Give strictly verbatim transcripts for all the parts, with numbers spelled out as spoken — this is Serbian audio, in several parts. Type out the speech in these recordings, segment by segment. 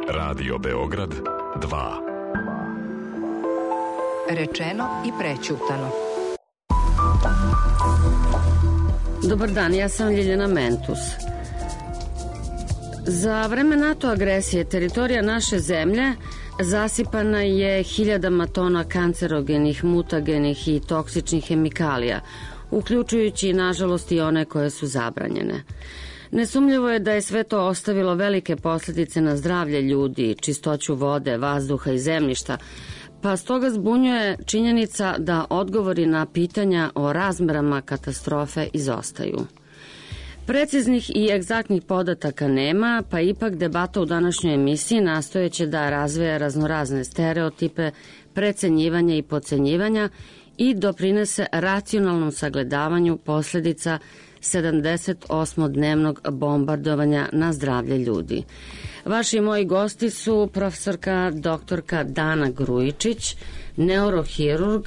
Radio Beograd dva. Rečeno i prećutano. Dobar dan, ja sam Ljiljana Mentus. Za vreme NATO agresije teritorija naše zemlje zasipana je hiljadama tona kancerogenih, mutagenih i toksičnih hemikalija, uključujući nažalost i one koje su zabranjene. Nesumnjivo je da je sve to ostavilo velike posljedice na zdravlje ljudi, čistoću vode, vazduha i zemljišta, pa stoga zbunjuje činjenica da odgovori na pitanja o razmerama katastrofe izostaju. Preciznih i egzaktnih podataka nema, pa ipak debata u današnjoj emisiji nastojeće da razveja raznorazne stereotipe, precenjivanja i podcenjivanja i doprinese racionalnom sagledavanju posljedica sedamdesetosmodnevnog bombardovanja na zdravlje ljudi. Vaši moji gosti su profesorka doktorka Dana Grujičić, neurohirurg,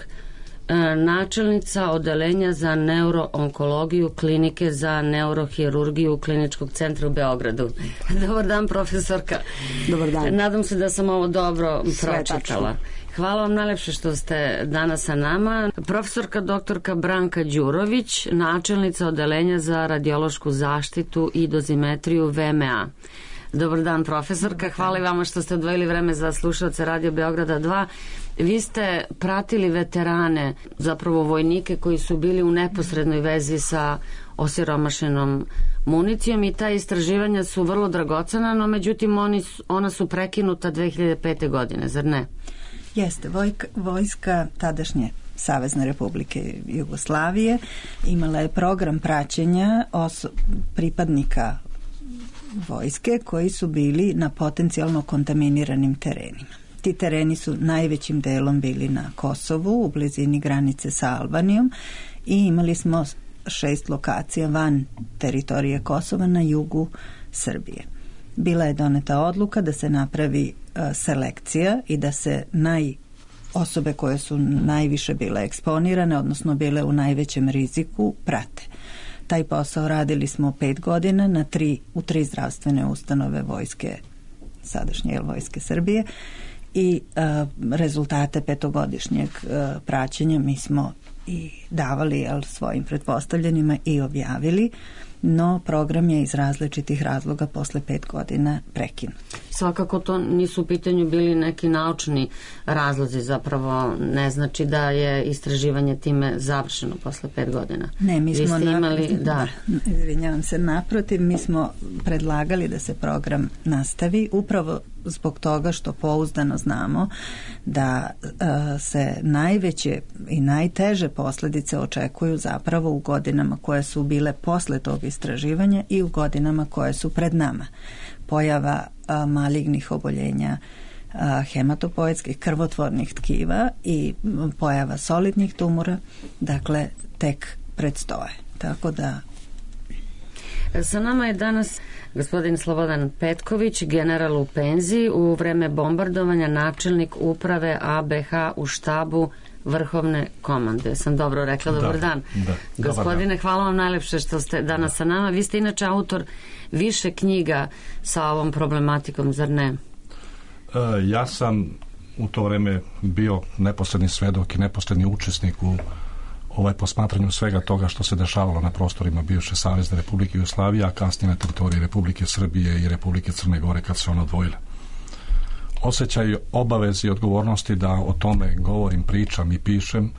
načelnica odeljenja za neuroonkologiju Klinike za neurohirurgiju Kliničkog centra u Beogradu. Dobar dan, profesorka. Dobar dan. Nadam se da sam ovo dobro pročitala. Hvala vam najlepše što ste danas sa nama. Profesorka doktorka Branka Đurović, načelnica odeljenja za radiološku zaštitu i dozimetriju V M A. Dobar dan, profesorka. Hvala i vama što ste odvojili vreme za slušalce Radio Beograda dva. Vi ste pratili veterane, zapravo vojnike koji su bili u neposrednoj vezi sa osiromašenom municijom i ta istraživanja su vrlo dragocena, no međutim oni, ona su prekinuta dve hiljade pete. godine, zar ne? Jeste, vojka, vojska tadašnje Savezne Republike Jugoslavije imala je program praćenja oso- pripadnika vojske koji su bili na potencijalno kontaminiranim terenima. Ti tereni su najvećim delom bili na Kosovu, u blizini granice sa Albanijom, i imali smo šest lokacija van teritorije Kosova na jugu Srbije. Bila je doneta odluka da se napravi uh, selekcija i da se naj osobe koje su najviše bile eksponirane, odnosno bile u najvećem riziku, prate. Taj posao radili smo pet godina na tri, u tri zdravstvene ustanove vojske, sadašnje vojske Srbije, i uh, rezultate petogodišnjeg uh, praćenja mi smo i davali jel, svojim pretpostavljenima i objavili, no program je iz različitih razloga posle pet godina prekinut. Svakako to nisu u pitanju bili neki naučni razlozi, zapravo ne znači da je istraživanje time završeno posle pet godina. Ne, mi smo imali, naprotiv, da. izvinjavam se, naprotiv, mi smo predlagali da se program nastavi upravo zbog toga što pouzdano znamo da uh, se najveće i najteže posljedice očekuju zapravo u godinama koje su bile posle tog istraživanja i u godinama koje su pred nama. Pojava uh, malignih oboljenja, uh, hematopoetskih krvotvornih tkiva i pojava solidnih tumora, dakle, tek predstoje. Tako da... Sa nama je danas gospodin Slobodan Petković, general u penziji, u vreme bombardovanja načelnik uprave A B H u štabu Vrhovne komande. Sam dobro rekla, dobar da, dan. Da, Gospodine, dobar dan. hvala vam najlepše što ste danas da. sa nama. Vi ste inače autor više knjiga sa ovom problematikom, zar ne? E, ja sam u to vreme bio neposredni svedok i neposredni učesnik u ovaj posmatranju svega toga što se dešavalo na prostorima bivše Savezne Republike Jugoslavije, a kasnije na teritoriji Republike Srbije i Republike Crne Gore kad se ona odvojila. Osjećaj obaveze i odgovornosti da o tome govorim, pričam i pišem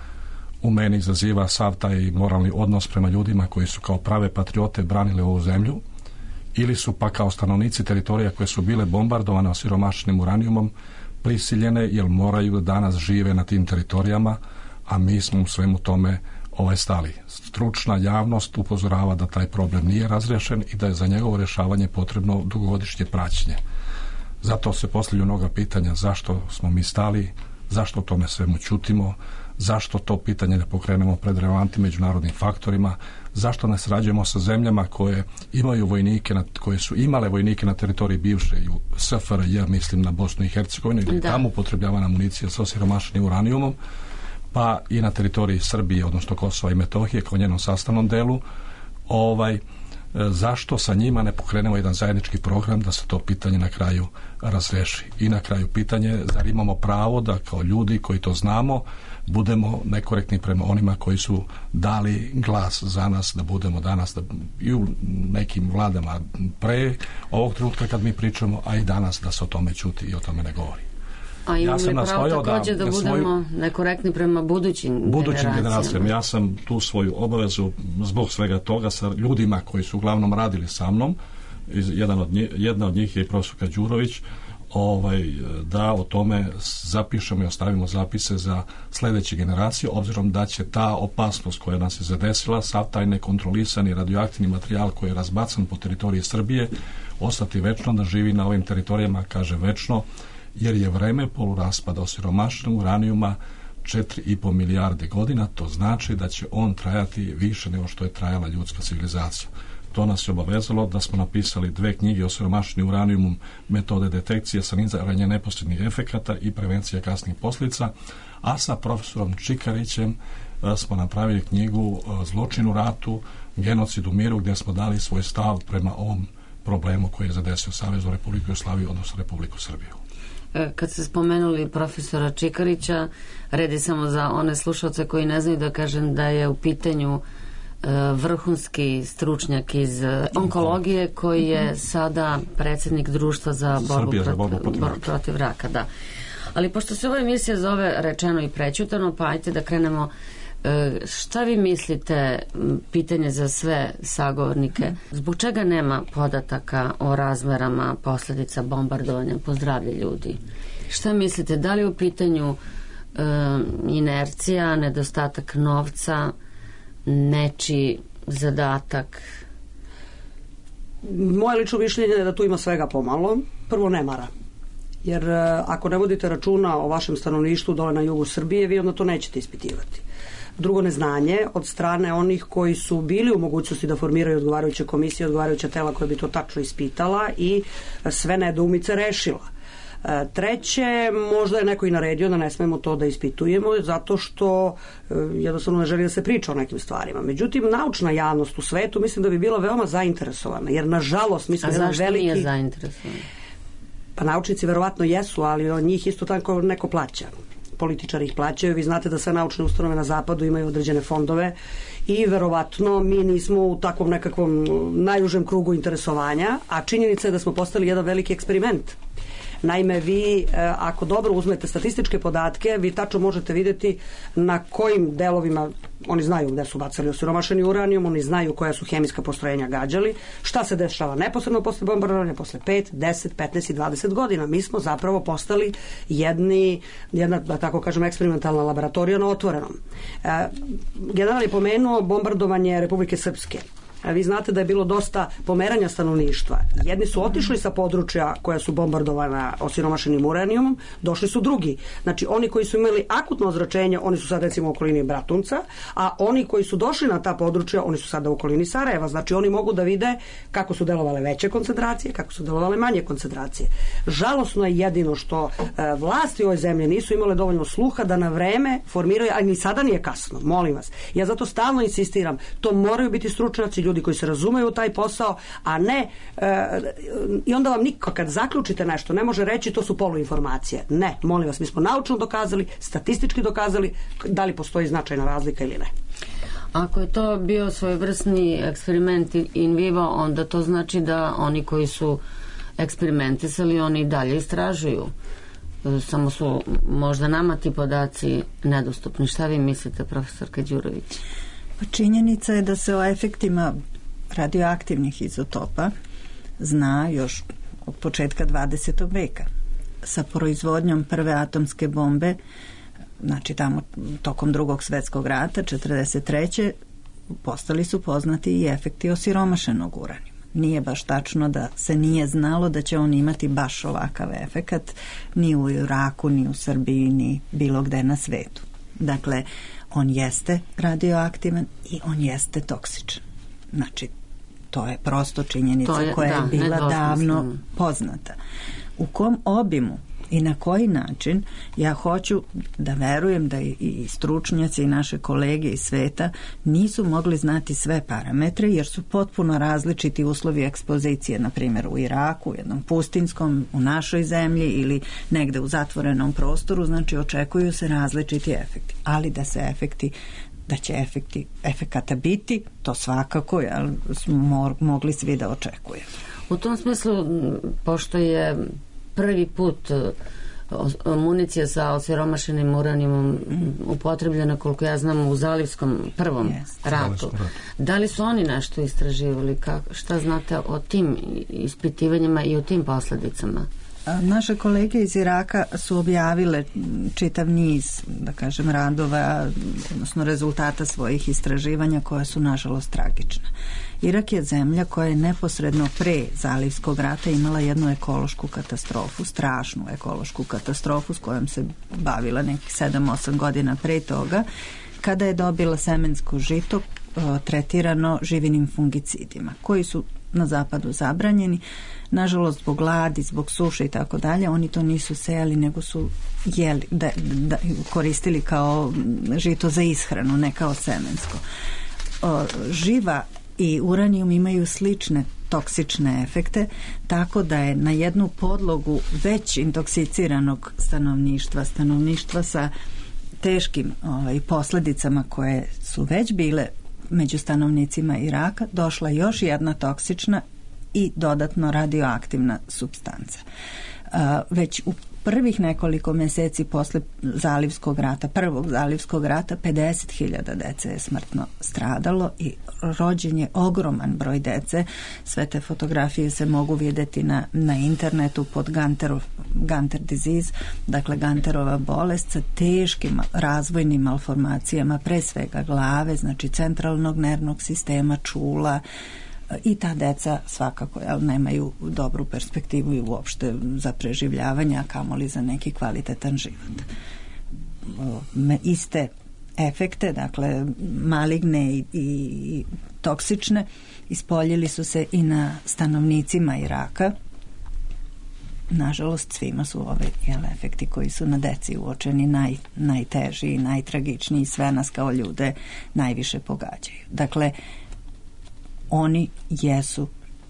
u meni izaziva sav taj moralni odnos prema ljudima koji su kao prave patriote branili ovu zemlju ili su pa kao stanovnici teritorija koje su bile bombardovane osiromašenim uranijumom prisiljene jer moraju da danas žive na tim teritorijama, a mi smo u svemu tome ovaj stali. Stručna javnost upozorava da taj problem nije razrešen i da je za njegovo rješavanje potrebno dugogodišnje praćenje. Zato se postavljaju mnoga pitanja zašto smo mi stali, zašto o tome svemu ćutimo, zašto to pitanje ne pokrenemo pred relevantnim međunarodnim faktorima, zašto ne sarađujemo sa zemljama koje imaju vojnike, na, koje su imale vojnike na teritoriji bivše S F R J, mislim na Bosnu i Hercegovinu, ili tamo upotrebljavana municija sa osiromašenim uranijumom, pa i na teritoriji Srbije, odnosno Kosova i Metohije kao njenom sastavnom delu. Ovaj, zašto sa njima ne pokrenemo jedan zajednički program da se to pitanje na kraju razreši. I na kraju pitanje, zar imamo pravo da kao ljudi koji to znamo budemo nekorektni prema onima koji su dali glas za nas, da budemo danas da, i u nekim vladama pre ovog trenutka kad mi pričamo, a i danas da se o tome ćuti i o tome ne govori. A imamo ja li pravo također da, da budemo svoju, nekorektni prema budućim, budućim generacijama? Ja sam tu svoju obavezu zbog svega toga sa ljudima koji su uglavnom radili sa mnom, jedan od njih, jedna od njih je i profesorka Đurović, ovaj, da o tome zapišemo i ostavimo zapise za sledeće generacije, obzirom da će ta opasnost koja nas je zadesila, sav taj nekontrolisani radioaktivni materijal koji je razbacan po teritoriji Srbije, ostati večno da živi na ovim teritorijama, kaže večno, jer je vreme poluraspada osiromašenog uranijuma četiri i po milijarde godina, to znači da će on trajati više nego što je trajala ljudska civilizacija. To nas je obavezalo da smo napisali dve knjige o siromašenim uranijumom, metode detekcije, saniranja neposrednih efekata i prevencija kasnih posljedica, a sa profesorom Čikarićem smo napravili knjigu Zločin u ratu, genocid u miru, gdje smo dali svoj stav prema ovom problemu koji je zadesio Saveznu Republiku Jugoslaviju, odnosno Republiku Srbiju. Kad ste spomenuli profesora Čikarića, redi samo za one slušalce koji ne znaju da kažem da je u pitanju vrhunski stručnjak iz onkologije koji je sada predsjednik društva za borbu, Srbija, protiv, za borbu protiv, borbu protiv raka. Da. Ali pošto se ova emisija zove Rečeno i prećutano, pa ajte da krenemo. Šta vi mislite, pitanje za sve sagovornike, zbog čega nema podataka o razmerama posljedica bombardovanja po zdravlje ljudi? Šta mislite, da li u pitanju e, inercija, nedostatak novca, nečiji zadatak? Moje lično mišljenje je da tu ima svega pomalo. Prvo, nemara. Jer ako ne vodite računa o vašem stanovništvu dole na jugu Srbije, vi onda to nećete ispitivati. Drugo, neznanje od strane onih koji su bili u mogućnosti da formiraju odgovarajuće komisije, odgovarajuća tela koja bi to tačno ispitala i sve nedoumice rešila. Treće, možda je neko i naredio da ne smemo to da ispitujemo zato što jednostavno ne želi da se priča o nekim stvarima. Međutim, naučna javnost u svetu mislim da bi bila veoma zainteresovana, jer nažalost mi smo jedan veliki... A zašto nije zainteresovana? Pa naučnici verovatno jesu, ali od njih isto tako neko plaća. Političari ih plaćaju, vi znate da sve naučne ustanove na zapadu imaju određene fondove i verovatno mi nismo u takvom nekakvom najužem krugu interesovanja, a činjenica je da smo postali jedan veliki eksperiment. Naime, vi ako dobro uzmete statističke podatke, vi tačno možete vidjeti na kojim delovima, oni znaju gde su bacali osiromašeni uranijum, oni znaju koja su hemijska postrojenja gađali, šta se dešava neposredno posle bombardovanja, posle pet, deset, petnaest i dvadeset godina. Mi smo zapravo postali jedni, jedna, da tako kažem, eksperimentalna laboratorija na otvorenom. E, general je pomenuo bombardovanje Republike Srpske. Vi znate da je bilo dosta pomeranja stanovništva. Jedni su otišli sa područja koja su bombardovana osiromašenim uranijumom, došli su drugi. Znači, oni koji su imali akutno ozračenje, oni su sad recimo u okolini Bratunca, a oni koji su došli na ta područja, oni su sada u okolini Sarajeva. Znači, oni mogu da vide kako su delovale veće koncentracije, kako su delovale manje koncentracije. Žalosno je jedino što e, vlasti u ovoj zemlji nisu imale dovoljno sluha da na vreme formiraju, a ni sada nije kasno, molim vas. Ja zato stalno insistiram, to moraju biti stručnjaci, ljudi koji se razumeju u taj posao, a ne e, i onda vam niko kad zaključite nešto ne može reći to su poluinformacije. Ne, molim vas, mi smo naučno dokazali, statistički dokazali da li postoji značajna razlika ili ne. Ako je to bio svojevrsni eksperiment in vivo, onda to znači da oni koji su eksperimentisali, oni dalje istražuju. Samo su možda nama ti podaci nedostupni. Šta vi mislite, profesorka Đurović? Činjenica je da se o efektima radioaktivnih izotopa zna još od početka dvadesetog veka. Sa proizvodnjom prve atomske bombe, znači tamo tokom drugog svjetskog rata, četrdeset treće postali su poznati i efekti osiromašenog uranijuma. Nije baš tačno da se nije znalo da će on imati baš ovakav efekat ni u Iraku, ni u Srbiji, ni bilo gde na svetu. Dakle, on jeste radioaktivan i on jeste toksičan. Znači, to je prosto činjenica je, koja da, je bila davno poznata. U kom obimu I na koji način ja hoću da verujem da i stručnjaci i naše kolege iz sveta nisu mogli znati sve parametre jer su potpuno različiti uslovi ekspozicije, na primjer u Iraku, u jednom pustinskom, u našoj zemlji ili negde u zatvorenom prostoru, znači očekuju se različiti efekti, ali da se efekti da će efekti, efekata biti, to svakako jel, smo mogli svi da očekujemo. U tom smislu, pošto je prvi put municija sa osiromašenim uranijumom upotrebljena, koliko ja znam, u Zalivskom prvom yes. ratu. Da li su oni nešto istraživali? Kako, šta znate o tim ispitivanjima i o tim posledicama? Naše kolege iz Iraka su objavile čitav niz, da kažem, radova, odnosno rezultata svojih istraživanja koja su nažalost tragična. Irak je zemlja koja je neposredno pre Zalivskog rata imala jednu ekološku katastrofu, strašnu ekološku katastrofu s kojom se bavila nekih sedam osam godina pre toga, kada je dobila semensko žito tretirano živinim fungicidima, koji su na zapadu zabranjeni. Nažalost, zbog gladi, zbog suše i tako dalje, oni to nisu sejali, nego su jeli, da, da, koristili kao žito za ishranu, ne kao semensko. O, živa i uranijum imaju slične toksične efekte, tako da je na jednu podlogu već intoksiciranog stanovništva, stanovništva sa teškim ovaj, posledicama koje su već bile među stanovnicima Iraka, došla još jedna toksična i dodatno radioaktivna supstanca. Uh, već u prvih nekoliko meseci posle Zalivskog rata, prvog Zalivskog rata, pedeset hiljada dece je smrtno stradalo i rođen je ogroman broj dece. Sve te fotografije se mogu vidjeti na, na internetu pod Ganterov, Ganter disease, dakle Ganterova bolest sa teškim razvojnim malformacijama, pre svega glave, znači centralnog nervnog sistema, čula, i ta deca svakako jel, nemaju dobru perspektivu i uopšte za preživljavanje, a kamoli za neki kvalitetan život. Iste efekte, dakle maligne i, i toksične, ispoljili su se i na stanovnicima Iraka. Nažalost, svima su ove jel, efekti koji su na deci uočeni naj, najteži i najtragičniji, sve nas kao ljude najviše pogađaju. Dakle, oni jesu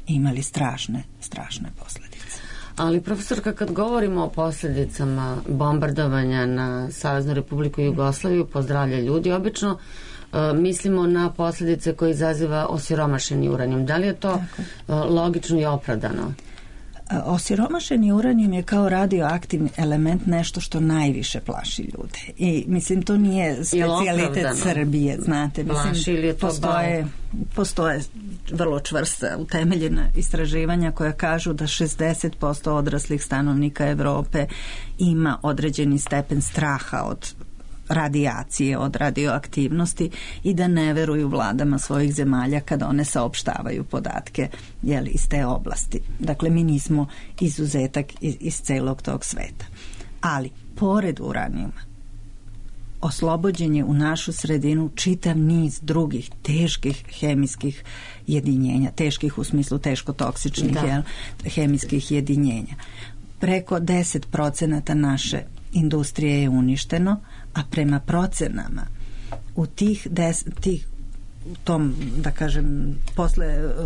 imali strašne, strašne posljedice. Ali, profesorka, kad govorimo o posljedicama bombardovanja na Saveznu Republiku Jugoslaviju, pozdravlja ljudi, obično uh, mislimo na posljedice koje izaziva osiromašeni uranijum. Da li je to uh, logično i opravdano? Osiromašeni uranijum je kao radioaktivni element nešto što najviše plaši ljude. I mislim, to nije specijalitet Srbije, znate. Mislim, postoje, postoje vrlo čvrsta utemeljena istraživanja koja kažu da šezdeset posto odraslih stanovnika Evrope ima određeni stepen straha od radijacije, od radioaktivnosti i da ne veruju vladama svojih zemalja kada one saopštavaju podatke jeli, iz te oblasti. Dakle, mi nismo izuzetak iz, iz celog tog sveta. Ali, pored uranijuma, oslobođen je u našu sredinu čitav niz drugih teških hemijskih jedinjenja, teških u smislu teško toksičnih jel, hemijskih jedinjenja. Preko deset procenata naše industrije je uništeno, a prema procenama u tih, des, tih tom, da kažem, posle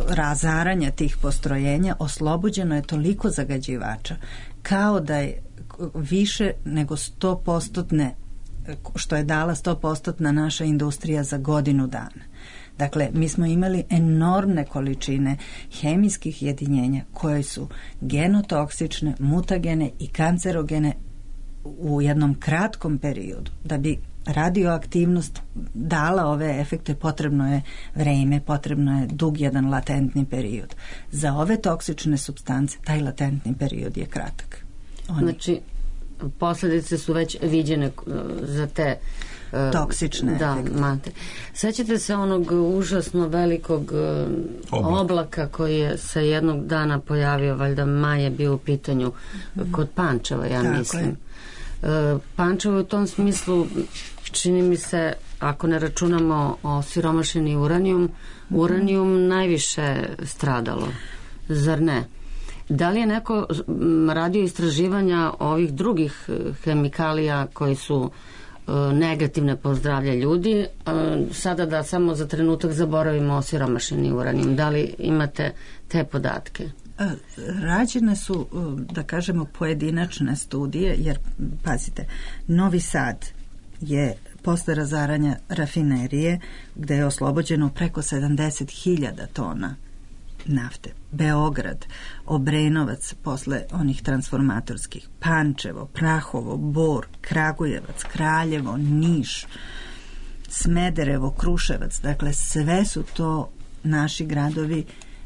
razaranja tih postrojenja oslobođeno je toliko zagađivača kao da je više nego sto posto što je dala sto posto naša industrija za godinu dana. Dakle, mi smo imali enormne količine hemijskih jedinjenja koje su genotoksične, mutagene i kancerogene u jednom kratkom periodu. Da bi radioaktivnost dala ove efekte, potrebno je vreme, potrebno je dug jedan latentni period. Za ove toksične supstance taj latentni period je kratak. Oni... Znači, posljedice su već viđene za te toksične da, efekte. Mate. Sećate se onog užasno velikog Oblak. oblaka koji je se jednog dana pojavio, valjda maj je bio u pitanju mm. kod Pančeva, ja Tako mislim. Je. Pančevo u tom smislu čini mi se, ako ne računamo o siromašeni uranijum, uranijum najviše stradalo, zar ne? Da li je neko radio istraživanja ovih drugih hemikalija koji su negativne po zdravlje ljudi? Sada da samo za trenutak zaboravimo osiromašeni uranijum. Da li imate te podatke? Rađene su, da kažemo, pojedinačne studije, jer, pazite, Novi Sad je posle razaranja rafinerije, gde je oslobođeno preko sedamdeset hiljada tona nafte. Beograd, Obrenovac posle onih transformatorskih, Pančevo, Prahovo, Bor, Kragujevac, Kraljevo, Niš, Smederevo, Kruševac, dakle sve su to naši gradovi,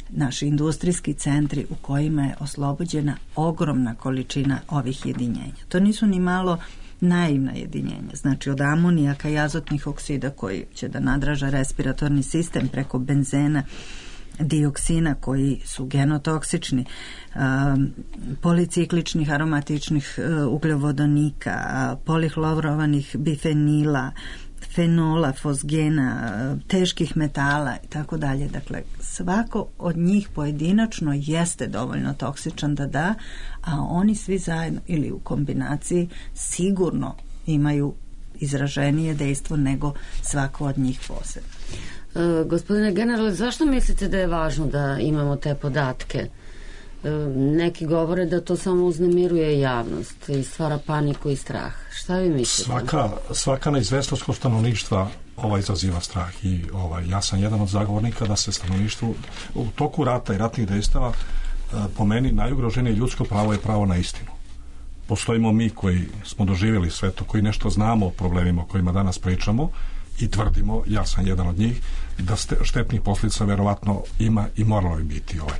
naši industrijski centri u kojima je oslobođena ogromna količina ovih jedinjenja. To nisu ni malo naivna jedinjenja, znači od amonijaka i azotnih oksida koji će da nadraža respiratorni sistem preko benzena, dioksina koji su genotoksični, um, policikličnih aromatičnih uh, ugljovodonika, uh, polihlorovanih bifenila, fenola, fosgena, uh, teških metala i tako dalje. Dakle, svako od njih pojedinačno jeste dovoljno toksičan da da, a oni svi zajedno ili u kombinaciji sigurno imaju izraženije dejstvo nego svako od njih posebno. E, gospodine generale, zašto mislite da je važno da imamo te podatke? E, neki govore da to samo uznemiruje javnost i stvara paniku i strah. Šta vi mislite? Svaka, svaka neizvestnost kod stanovništva ovaj izaziva strah i ovaj, ja sam jedan od zagovornika da se stanovništvu u toku rata i ratnih dejstava po meni najugroženije ljudsko pravo je pravo na istinu. Postojimo mi koji smo doživjeli sve to, koji nešto znamo o problemima o kojima danas pričamo i tvrdimo, ja sam jedan od njih, da štetnih posljedica verovatno ima i moralo bi biti. Ovaj.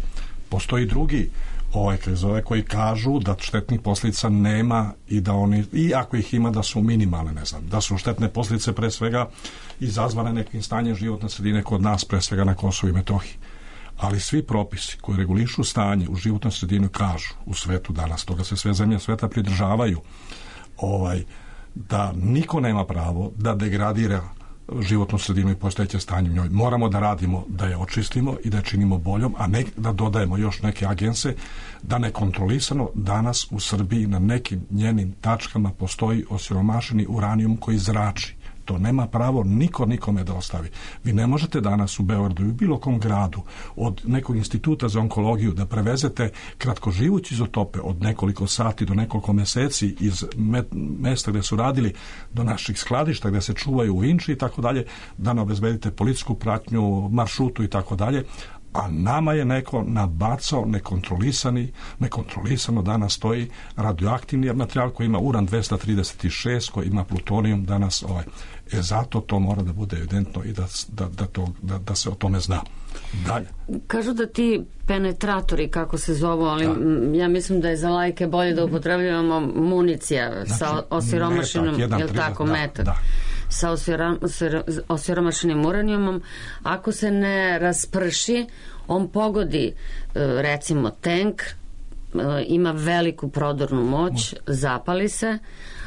Postoji drugi ovaj, zove, koji kažu da štetnih posljedica nema i da oni, i ako ih ima, da su minimalne, ne znam, da su štetne posljedice pre svega izazvane nekim stanjem životne sredine kod nas, pre svega na Kosovu i Metohiji. Ali svi propisi koji regulišu stanje u životnoj sredini kažu u svetu danas, toga se sve zemlje sveta pridržavaju, ovaj, da niko nema pravo da degradira životnu sredinu i postojeće stanje u njoj. Moramo da radimo da je očistimo i da je činimo boljom, a ne da dodajemo još neke agense, da nekontrolisano danas u Srbiji na nekim njenim tačkama postoji osiromašeni uranijum koji zrači. To nema pravo niko nikome da ostavi. Vi ne možete danas u Beogradu i u bilo kom gradu od nekog instituta za onkologiju da prevezete kratkoživući izotope od nekoliko sati do nekoliko meseci iz mesta gde su radili do naših skladišta gde se čuvaju u Vinči i tako dalje, da ne obezbedite policijsku pratnju, maršrutu i tako dalje, a nama je neko nabacao nekontrolisani, nekontrolisano danas stoji radioaktivni materijal koji ima uran dvesta trideset šest, koji ima plutonijum danas ovaj. E zato to mora da bude evidentno i da, da, da, to, da, da se o tome zna. Dalje. Kažu da ti penetratori, kako se zovu, ali da. Ja mislim da je za lajke bolje da upotrebljavamo municija, znači, sa osiromašenim, je li tako, da, metak, da. Sa osiromašenim uranijumom. Ako se ne rasprši, on pogodi, recimo, tank, ima veliku prodornu moć, zapali se,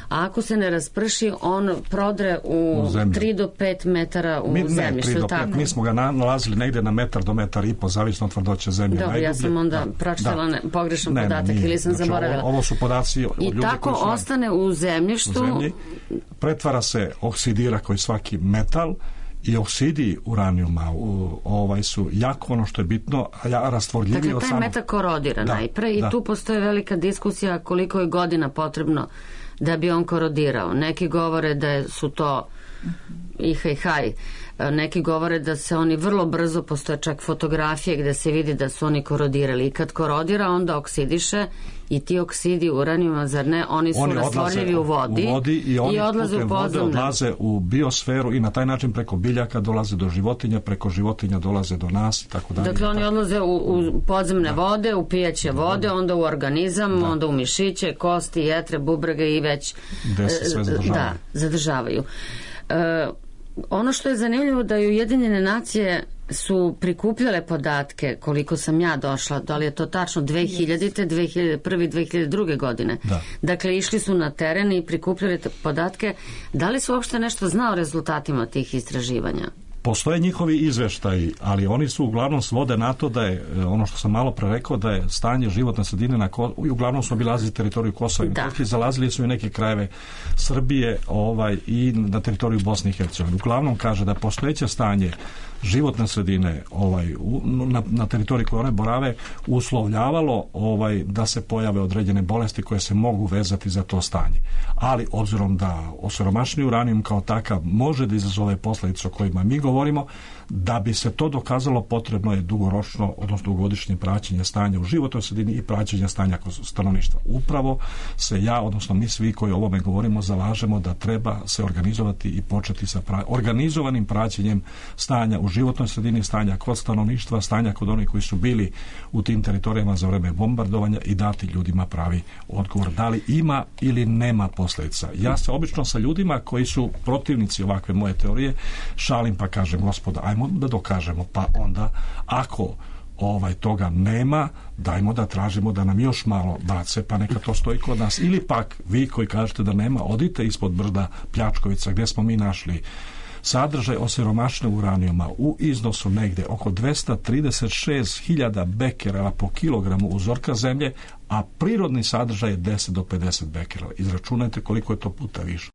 a ako se ne rasprši, on prodre u, u tri do pet metara u mi, zemlji. Ne, tri do pet, mi smo ga nalazili negde na metar do metar i po, zavisno od tvrdoće zemlje. Dobro, ja sam onda da, pročitala da. pogrešan ne, podatak ne, ili sam znači, zaboravila. Ovo, ovo su podaci od I ljudi tako koji su ostane u zemljištu. U zemlji, pretvara se, oksidira koji svaki metal i oksidi uranijuma u, ovaj su jako ono što je bitno, a rastvorljiviji dakle, od taj samog... metak korodira da, najpre i da. Tu postoje velika diskusija koliko je godina potrebno da bi on korodirao. Neki govore da su to i haj haj. Neki govore da se oni vrlo brzo, postoje čak fotografije gde se vidi da su oni korodirali. I kad korodira, onda oksidiše i ti oksidi uranijuma, zar ne, oni su oni rastvorljivi u vodi, u vodi i, oni i odlaze u podzemne. Odlaze u biosferu i na taj način preko biljaka dolaze do životinja, preko životinja dolaze do nas i tako dalje. Dakle, oni odlaze u, u podzemne da. vode, u pijaće vode, da. onda u organizam, da. onda u mišiće, kosti, jetre, bubrege i već gde se sve zadržavaju. Da, zadržavaju. E, ono što je zanimljivo da i Ujedinjene nacije su prikupljale podatke, koliko sam ja došla, da li je to tačno dve hiljadite, dve hiljade prve, dve hiljade druge godine. Da. Dakle, išli su na teren i prikupljali podatke. Da li su uopšte nešto znao o rezultatima tih istraživanja? Postoje njihovi izveštaji, ali oni su uglavnom svode na to da je, ono što sam malo pre rekao, da je stanje životne sredine na Kosovu, i uglavnom su obilazili teritoriju Kosova i Metohije, zalazili su i neke krajeve Srbije ovaj, i na teritoriju Bosne i Hercegovine. Uglavnom kaže da postojeće stanje životne sredine ovaj, u, na, na teritoriji koje one borave uslovljavalo ovaj, da se pojave određene bolesti koje se mogu vezati za to stanje. Ali obzirom da osiromašeni uranijum kao takav može da izazove posledice o kojima mi govorimo, da bi se to dokazalo potrebno je dugoročno, odnosno dugogodišnje praćenje stanja u životnoj sredini i praćenje stanja stanovništva. Upravo se ja, odnosno mi svi koji o ovome govorimo, zalažemo da treba se organizovati i početi sa pra... organizovanim praćenjem stanja u životnoj sredini, stanja kod stanovništva, stanja kod onih koji su bili u tim teritorijama za vreme bombardovanja i dati ljudima pravi odgovor da li ima ili nema posljedica. Ja se obično sa ljudima koji su protivnici ovakve moje teorije šalim pa kažem, gospoda, ajmo da dokažemo, pa onda ako ovaj toga nema, dajmo da tražimo da nam još malo bace, pa neka to stoji kod nas. Ili pak vi koji kažete da nema, odite ispod brda Pljačkovica gdje smo mi našli sadržaj osiromašenog uranijuma u iznosu negde oko dvesta trideset šest hiljada bekerela po kilogramu uzorka zemlje, a prirodni sadržaj je deset do pedeset bekerela. Izračunajte koliko je to puta više.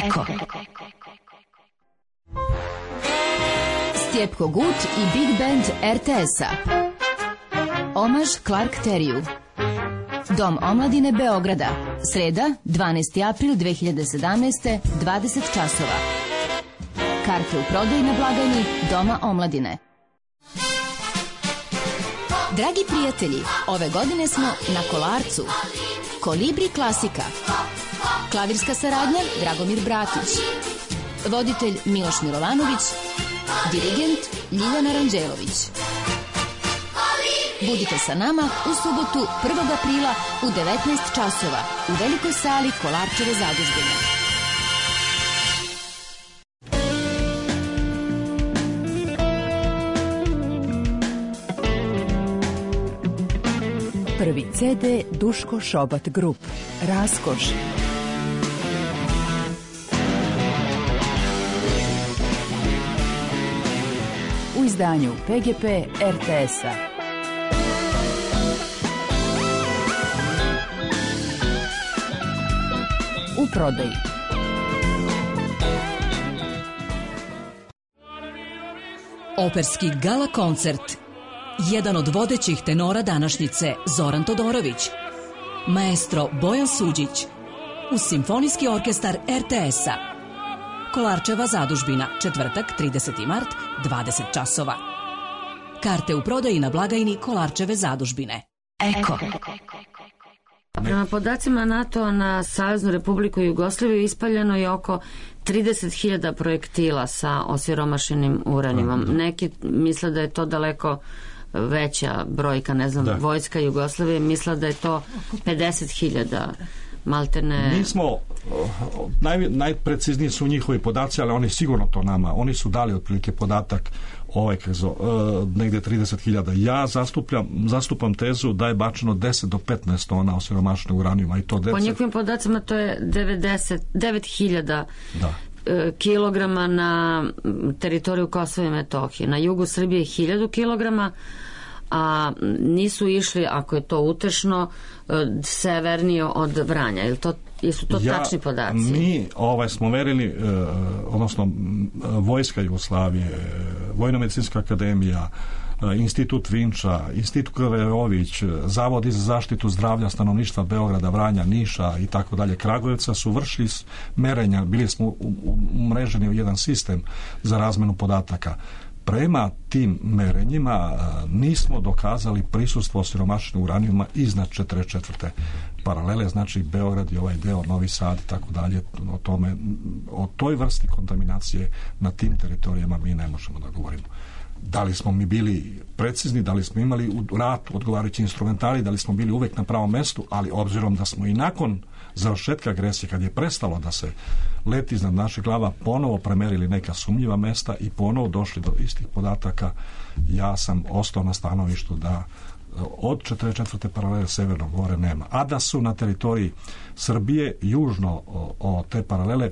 Eko. Stjepko Gut i Big Band er te es-a. Omaž Clark Teriju. Dom omladine Beograda. Sreda, dvanaesti april dve hiljade sedamnaeste, dvadeset časova. Karte u prodaji na blagajni Doma omladine. Dragi prijatelji, ove godine smo na Kolarcu. Kolibri klasika. Klavirska saradnja Dragomir Bratić. voditelj Miloš Milovanović, dirigent Ljiljana Ranđelović. Budite sa nama u subotu prvog aprila u devetnaest časova u velikoj sali Kolarčeve zadužbine. Prvi ce de Duško Šobat Grup. Raskoš. U izdanju pe ge pe er te es-a. U prodaji. Operski gala koncert. Jedan od vodećih tenora današnjice, Zoran Todorović. Maestro Bojan Suđić. Uz Simfonijski orkestar er te es-a. Kolarčeva zadužbina, četvrtak, trideseti mart, dvadeset časova. Karte u prodaji na blagajni Kolarčeve zadužbine. Eko. Prema podacima NATO na Saveznu Republiku Jugoslaviju ispaljeno je oko trideset hiljada projektila sa osiromašenim uranijumom. Neki misle da je to daleko veća brojka, ne znam, da. Vojska Jugoslavije misle da je to pedeset hiljada. Maltene... Mi smo, naj, najprecizniji su njihovi podaci, ali oni sigurno to nama, oni su dali otprilike podatak ovaj krezo, uh, negde trideset hiljada. Ja zastupam, zastupam tezu da je bačeno deset do petnaest tona osiromašenog uranijuma i to deset... Po njihovim podacima to je devedeset, devet hiljada da. kilograma na teritoriju Kosova i Metohije. Na jugu Srbije hiljadu kilograma, a nisu išli, ako je to utešno, severnije od Vranja. Ili to, jesu to ja, tačni podaci? Mi ovaj, smo verili, eh, odnosno Vojska Jugoslavije, Vojno-medicinska akademija, Institut Vinča, Institut Kraverović, Zavod za zaštitu zdravlja stanovništva Beograda, Vranja, Niša i tako dalje, Kragujevca su vršili merenja, bili smo umreženi u jedan sistem za razmenu podataka. Prema tim merenjima nismo dokazali prisustvo osiromašenog uranijuma iznad četrdeset četvrte paralele, znači Beograd i ovaj deo, Novi Sad i tako dalje, o tome, o toj vrsti kontaminacije na tim teritorijama mi ne možemo da govorimo. Da li smo mi bili precizni, da li smo imali u ratu odgovarajući instrumentari, da li smo bili uvek na pravom mestu, ali obzirom da smo i nakon završetka agresije, kad je prestalo da se leti iznad naših glava, ponovo premerili neka sumnjiva mesta i ponovo došli do istih podataka, ja sam ostao na stanovištu da od četrdeset četvrte paralele Severnog more nema. A da su na teritoriji Srbije južno o, o te paralele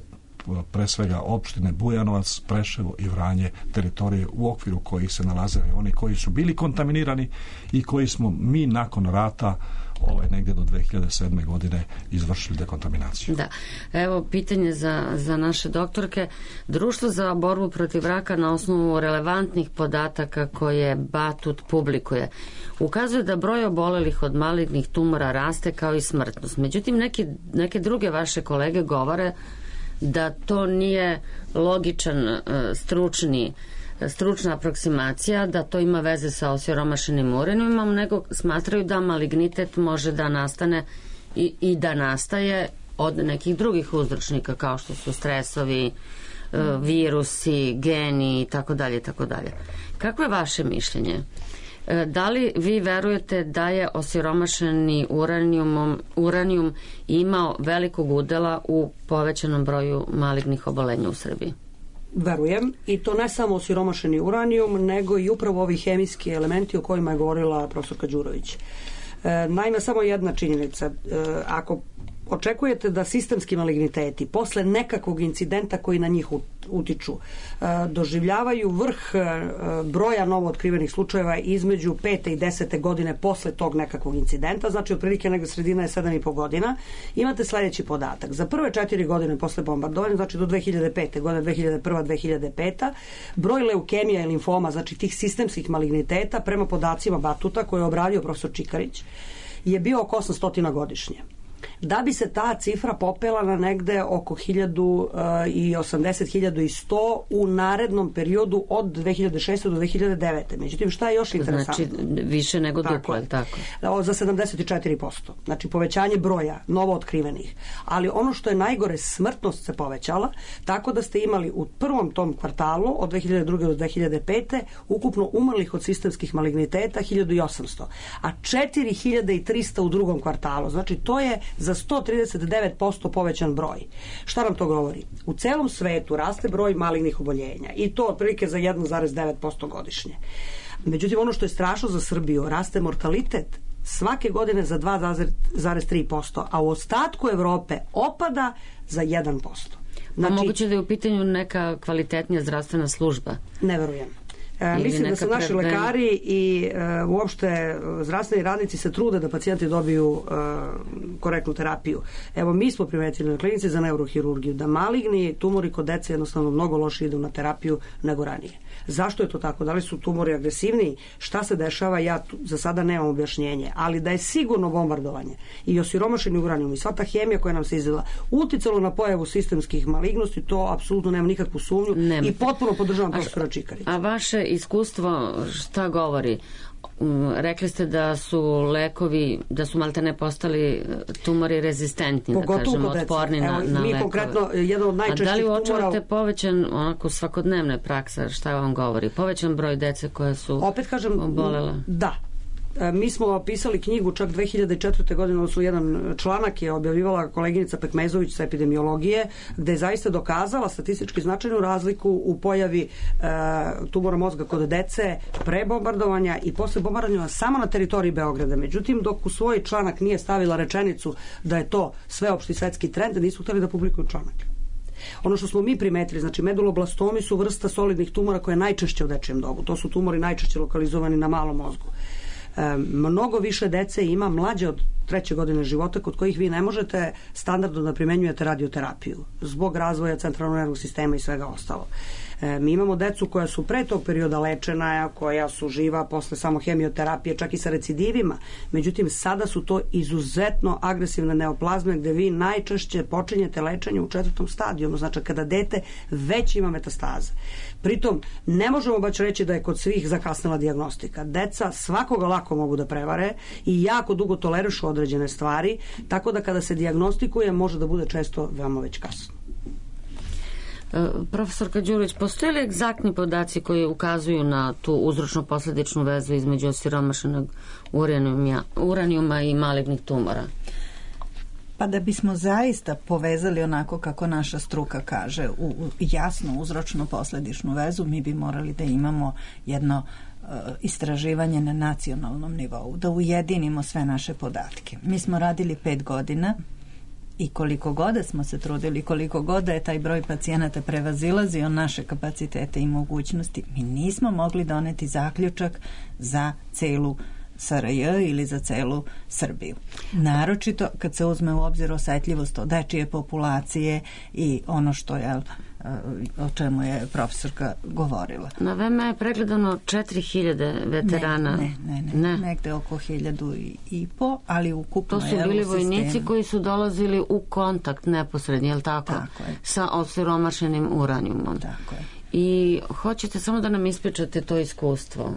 pre svega opštine Bujanovac, Preševo i Vranje, teritorije u okviru kojih se nalaze oni koji su bili kontaminirani i koji smo mi nakon rata ovaj, negdje do dve hiljade sedme godine izvršili dekontaminaciju. Da. Evo pitanje za, za naše doktorke. Društvo za borbu protiv raka na osnovu relevantnih podataka koje Batut publikuje ukazuje da broj obolelih od malignih tumora raste kao i smrtnost. Međutim, neke, neke druge vaše kolege govore da to nije logičan stručni, stručna aproksimacija, da to ima veze sa osiromašenim uranijumom, nego smatraju da malignitet može da nastane i, i da nastaje od nekih drugih uzročnika kao što su stresovi, virusi, geni i tako dalje, tako dalje. Kako je vaše mišljenje? Da li vi verujete da je osiromašeni uranijum, uranijum imao velikog udela u povećanom broju malignih obolenja u Srbiji? Verujem, i to ne samo osiromašeni uranijum, nego i upravo ovi hemijski elementi o kojima je govorila profesorka Đurović. E, naime, samo jedna činjenica. E, ako očekujete da sistemski maligniteti posle nekakvog incidenta koji na njih utiču doživljavaju vrh broja novootkrivenih slučajeva između pete i desete godine posle tog nekakvog incidenta, znači otprilike negde sredina je sedam i po godina, imate sledeći podatak. Za prve četiri godine posle bombardovanja, znači do dve hiljade pete godine, dve hiljade prva dve hiljade peta, broj leukemija i limfoma, znači tih sistemskih maligniteta, prema podacima Batuta koje je obradio profesor Čikarić, je bio oko osamsto godišnje. da bi se ta cifra popela na negde oko hiljadu osamdeset do hiljadu sto u narednom periodu od dve hiljade šeste do dve hiljade devete. Međutim, šta je još interesantno? Znači, više nego duplo, je tako? Za sedamdeset četiri posto. Znači, povećanje broja novo otkrivenih. Ali ono što je najgore, smrtnost se povećala, tako da ste imali u prvom tom kvartalu od dve hiljade druge do dve hiljade pete ukupno umrlih od sistemskih maligniteta hiljadu osamsto, a četiri hiljade trista u drugom kvartalu. Znači, to je za sto trideset devet posto povećan broj. Šta nam to govori? U celom svetu raste broj malignih oboljenja i to otprilike za jedan zarez devet posto godišnje. Međutim, ono što je strašno za Srbiju, raste mortalitet svake godine za dva zarez tri posto, a u ostatku Evrope opada za jedan posto. Znači, a moguće da je u pitanju neka kvalitetnija zdravstvena služba? Ne verujem. E, mislim da su naši preben... lekari i e, uopšte zdravstveni radnici se trude da pacijenti dobiju e, korektnu terapiju. Evo, mi smo primetili na klinici za neurohirurgiju da maligni tumori kod dece jednostavno mnogo loše idu na terapiju nego ranije. Zašto je to tako? Da li su tumori agresivniji? Šta se dešava? Ja tu, za sada nemam objašnjenje. Ali da je sigurno bombardovanje i osiromašeni uranijum i sva ta hemija koja nam se izvela uticalo na pojavu sistemskih malignosti, to apsolutno nema nikakvu sumnju nema. I potpuno podržavam profesora Čikarića. A vaše iskustvo šta govori? Rekli ste da su lekovi, da su maltene postali tumori rezistentni, pogotovo da kažemo, otporni na, na mi lekove. Konkretno, jedan od najčešćih tumora... A da li uočavate tumora... povećan, onako svakodnevne praksa, šta vam govori? Povećan broj dece koje su opet kažem, obolela? Da. Mi smo pisali knjigu čak dve hiljade četvrte. godine, odnosno jedan članak je objavljivala koleginica Pekmezović sa epidemiologije, gde je zaista dokazala statistički značajnu razliku u pojavi e, tumora mozga kod dece pre bombardovanja i posle bombardovanja samo na teritoriji Beograda. Međutim, dok u svoj članak nije stavila rečenicu da je to sveopšti svetski trend, nisu hteli da publikuju članak. Ono što smo mi primetili, znači meduloblastomi su vrsta solidnih tumora koja je najčešće u dečijem dobu. To su tumori najčešće lokalizovani na malom mozgu. E, mnogo više dece ima mlađe od treće godine života kod kojih vi ne možete standardno da primenjujete radioterapiju zbog razvoja centralnog nervnog sistema i svega ostalo. E, mi imamo decu koja su pre tog perioda lečena, koja su živa posle samo hemioterapije, čak i sa recidivima. Međutim, sada su to izuzetno agresivne neoplazme gde vi najčešće počinjete lečenje u četvrtom stadijumu, znači kada dete već ima metastaze. Pritom, ne možemo baš reći da je kod svih zakasnila dijagnostika. Deca svakoga lako mogu da prevare i jako dugo tolerišu određene stvari, tako da kada se dijagnostikuje može da bude često veoma već kasno. Profesorka Đurić, postoje li egzaktni podaci koji ukazuju na tu uzročno-posledičnu vezu između osiromašenog uranijuma, uranijuma i malignih tumora? Pa da bismo zaista povezali onako kako naša struka kaže, u, u jasnu uzročno-posledičnu vezu, mi bi morali da imamo jedno uh, istraživanje na nacionalnom nivou, da ujedinimo sve naše podatke. Mi smo radili pet godina i koliko god smo se trudili, koliko god je taj broj pacijenata prevazilazio naše kapacitete i mogućnosti, mi nismo mogli doneti zaključak za celu S R J ili za celu Srbiju. Naročito kad se uzme u obzir osetljivost od dečije populacije i ono što je o čemu je profesorka govorila. Na V M A je pregledano četiri hiljade veterana. Ne, ne, ne, ne. Negde oko hiljadu i po, ali ukupno to su bili vojnici koji su dolazili u kontakt neposredni, je li tako? Tako je. Sa osiromašenim uranijumom. Tako je. I hoćete samo da nam ispričate to iskustvo?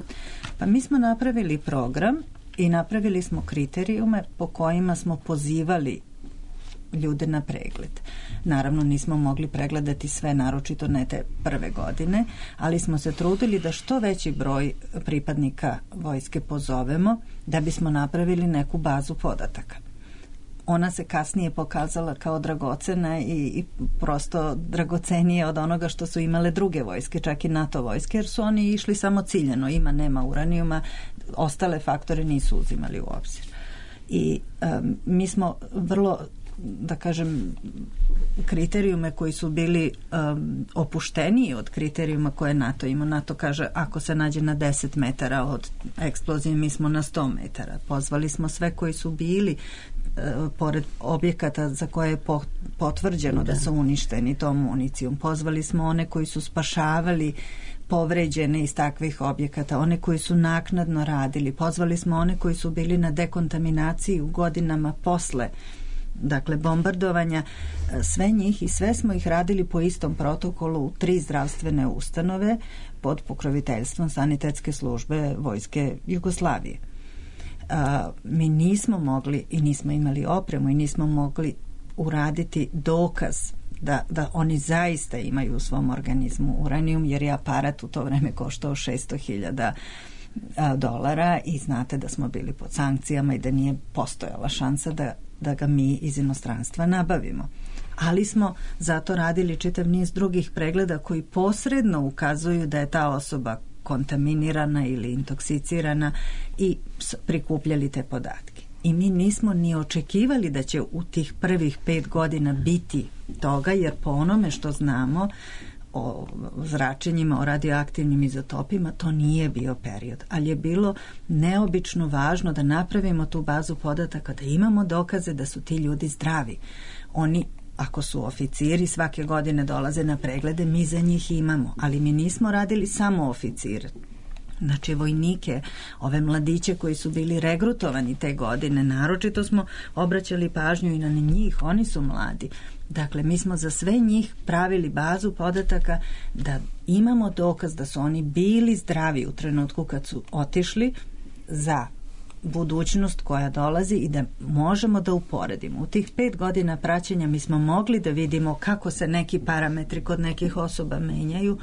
Pa mi smo napravili program i napravili smo kriterijume po kojima smo pozivali ljude na pregled. Naravno nismo mogli pregledati sve, naročito ne te prve godine, ali smo se trudili da što veći broj pripadnika vojske pozovemo da bismo napravili neku bazu podataka. Ona se kasnije pokazala kao dragocena i, i prosto dragocenije od onoga što su imale druge vojske, čak i NATO vojske, jer su oni išli samo ciljano, ima, nema uranijuma, ostale faktore nisu uzimali u obzir. I um, mi smo vrlo, da kažem, kriterijume koji su bili um, opušteniji od kriterijuma koje NATO ima. NATO kaže ako se nađe na deset metara od eksplozije, mi smo na sto metara. Pozvali smo sve koji su bili uh, pored objekata za koje je po, potvrđeno da. da su uništeni tom municijom. Pozvali smo one koji su spašavali povređene iz takvih objekata, one koji su naknadno radili. Pozvali smo one koji su bili na dekontaminaciji u godinama posle dakle bombardovanja, sve njih i sve smo ih radili po istom protokolu u tri zdravstvene ustanove pod pokroviteljstvom sanitetske službe Vojske Jugoslavije. A, mi nismo mogli i nismo imali opremu i nismo mogli uraditi dokaz da, da oni zaista imaju u svom organizmu uranijum, jer je aparat u to vreme koštao šesto hiljada dolara i znate da smo bili pod sankcijama i da nije postojala šansa da, da ga mi iz inostranstva nabavimo. Ali smo zato radili čitav niz drugih pregleda koji posredno ukazuju da je ta osoba kontaminirana ili intoksicirana i prikupljali te podatke. I mi nismo ni očekivali da će u tih prvih pet godina biti toga, jer po onome što znamo o zračenjima, o radioaktivnim izotopima, to nije bio period. Ali je bilo neobično važno da napravimo tu bazu podataka, da imamo dokaze da su ti ljudi zdravi. Oni, ako su oficiri, svake godine dolaze na preglede, mi za njih imamo, ali mi nismo radili samo oficire. Znači vojnike, ove mladiće koji su bili regrutovani te godine, naročito smo obraćali pažnju i na njih, oni su mladi. Dakle, mi smo za sve njih pravili bazu podataka da imamo dokaz da su oni bili zdravi u trenutku kad su otišli za budućnost koja dolazi i da možemo da uporedimo. U tih pet godina praćenja mi smo mogli da vidimo kako se neki parametri kod nekih osoba menjaju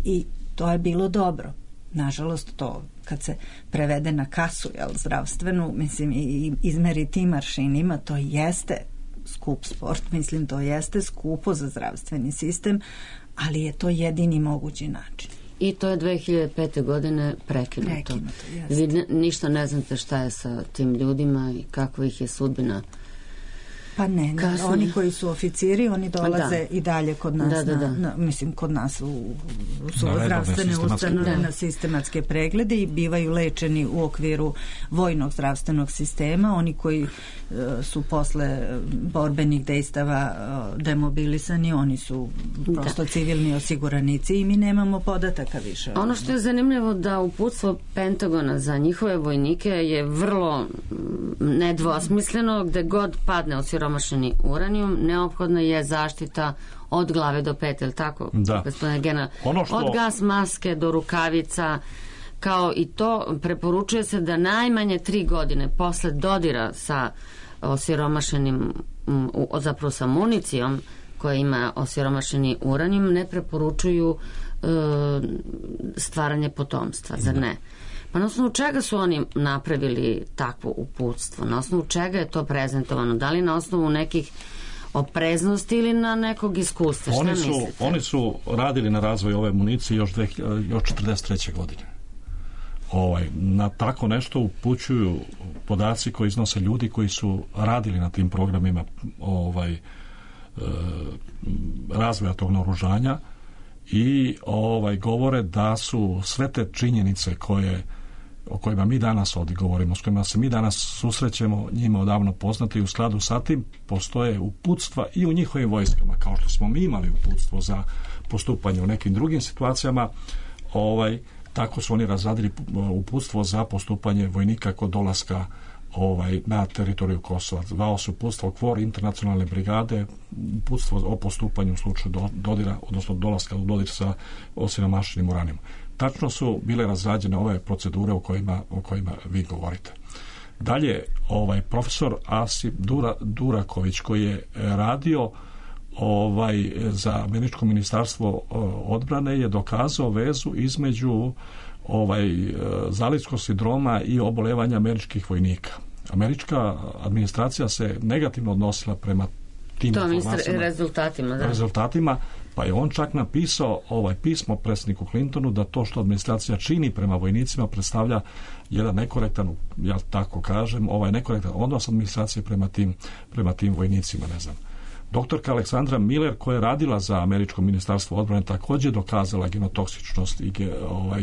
i to je bilo dobro. Nažalost, to kad se prevede na kasu, jel, zdravstvenu, mislim, i izmeri tim aršinima, to jeste skup sport, mislim, to jeste skupo za zdravstveni sistem, ali je to jedini mogući način. I to je dve hiljade pete. godine prekinuto. Prekinuto, jeste. Vi ništa ne znate šta je sa tim ljudima i kakva ih je sudbina. Pa ne, ne, oni koji su oficiri, oni dolaze da. i dalje kod nas, da, da, da. Na, na, mislim, kod nas u, u su zdravstvene ustanove na sistematske preglede i bivaju lečeni u okviru vojnog zdravstvenog sistema. Oni koji uh, su posle borbenih dejstava uh, demobilisani, oni su prosto da. civilni osiguranici i mi nemamo podataka više. Ono što je zanimljivo da uputstvo Pentagona za njihove vojnike je vrlo nedvosmisleno, gde god padne osiromašeni uranijum, neophodna je zaštita od glave do pete, je li tako? Da. Gospodine Gena, što... od gas maske do rukavica, kao i to preporučuje se da najmanje tri godine posle dodira sa osiromašenim, zapravo sa municijom koja ima osiromašeni uranijum, ne preporučuju e, stvaranje potomstva, zar ne? Pa na osnovu čega su oni napravili takvo uputstvo? Na osnovu čega je to prezentovano? Da li na osnovu nekih opreznosti ili na nekog iskustva? Šta oni su, mislite? Oni su radili na razvoju ove municije još, dve, još četrdeset treće. godine. Ovaj, na tako nešto upućuju podaci koji iznose ljudi koji su radili na tim programima ovaj, e, razvoja tog naoružanja i ovaj, govore da su sve te činjenice koje o kojima mi danas ovdje govorimo, s kojima se mi danas susrećemo, njima odavno poznati i u skladu sa tim postoje uputstva i u njihovim vojskama, kao što smo mi imali uputstvo za postupanje u nekim drugim situacijama, ovaj, tako su oni razradili uputstvo za postupanje vojnika kod dolaska ovaj, na teritoriju Kosova. Zvao se uputstvo KFOR, internacionalne brigade, uputstvo o postupanju u slučaju do, dodira, odnosno dolaska u dodir sa osiromašenim uranijumom. Tačno su bile razrađene ove procedure o kojima, o kojima vi govorite. Dalje, ovaj profesor Asip Dura, Duraković, koji je radio ovaj za američko ministarstvo odbrane, je dokazao vezu između ovaj zalivskog sindroma i obolevanja američkih vojnika. Američka administracija se negativno odnosila prema tim to informacijama, rezultatima, da. rezultatima, pa je on čak napisao ovaj pismo predsjedniku Clintonu da to što administracija čini prema vojnicima predstavlja jedan nekorektan, ja tako kažem, ovaj nekorektan odnos administracije prema tim, prema tim vojnicima, ne znam. Doktorka Aleksandra Miller, koja je radila za američko ministarstvo odbrane, također dokazala genotoksičnost i ovaj,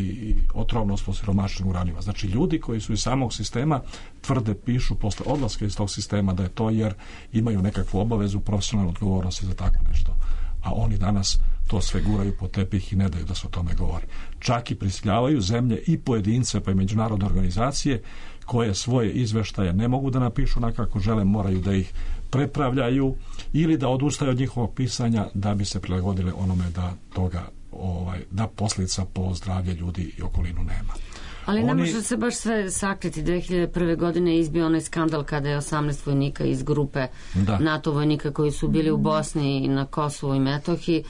otrovnost po siromašnim uranijima. Znači, ljudi koji su iz samog sistema tvrde, pišu posle odlaska iz tog sistema da je to jer imaju nekakvu obavezu profesionalne odgovornosti za tako nešto. A oni danas to sve guraju po tepih i ne daju da se o tome govori. Čak i prisiljavaju zemlje i pojedince pa i međunarodne organizacije koje svoje izveštaje ne mogu da napišu na kako žele, moraju da ih prepravljaju ili da odustaju od njihovog pisanja da bi se prilagodile onome da toga ovaj, da posljedica po zdravlje ljudi i okolinu nema. Ali Oni... ne može se baš sve sakriti. dve hiljade prve. godine izbio onaj skandal kada je osamnaest vojnika iz grupe da. NATO vojnika koji su bili u Bosni i na Kosovu i Metohiji,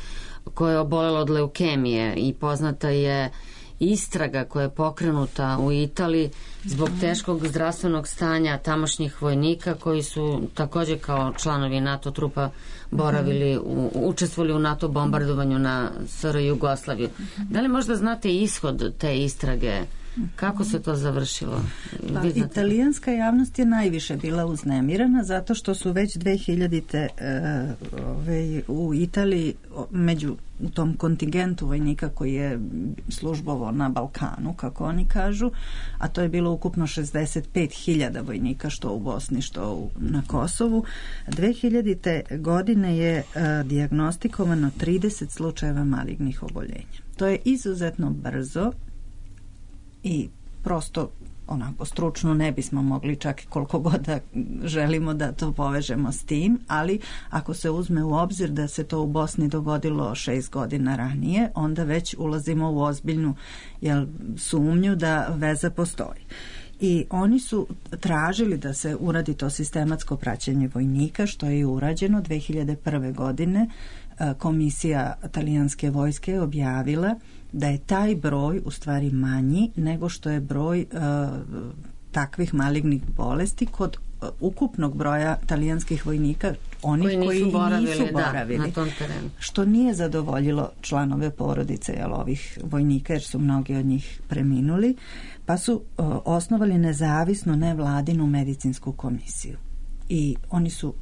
koje je obolelo od leukemije, i poznata je istraga koja je pokrenuta u Italiji zbog teškog zdravstvenog stanja tamošnjih vojnika koji su također kao članovi NATO trupa boravili, u, učestvovali u NATO bombardovanju na S R Jugoslaviju. Da li možda znate ishod te istrage? Kako se to završilo? Pa, italijanska javnost je najviše bila uznemirana zato što su već dve hiljadite. E, ove, u Italiji među u tom kontingentu vojnika koji je službovao na Balkanu, kako oni kažu, a to je bilo ukupno šezdeset pet hiljada vojnika što u Bosni, što u, na Kosovu. dve hiljadite. godine je e, dijagnostikovano trideset slučajeva malignih oboljenja. To je izuzetno brzo i prosto onako stručno ne bismo mogli čak koliko god da želimo da to povežemo s tim, ali ako se uzme u obzir da se to u Bosni dogodilo šest godina ranije, onda već ulazimo u ozbiljnu jel, sumnju da veza postoji. I oni su tražili da se uradi to sistematsko praćenje vojnika, što je i urađeno. dve hiljade prve. godine komisija talijanske vojske je objavila da je taj broj u stvari manji nego što je broj uh, takvih malignih bolesti kod uh, ukupnog broja talijanskih vojnika, onih koji nisu koji boravili, nisu boravili da, na tom terenu. Što nije zadovoljilo članove porodice jel, ovih vojnika, jer su mnogi od njih preminuli, pa su uh, osnovali nezavisnu nevladinu medicinsku komisiju. I oni su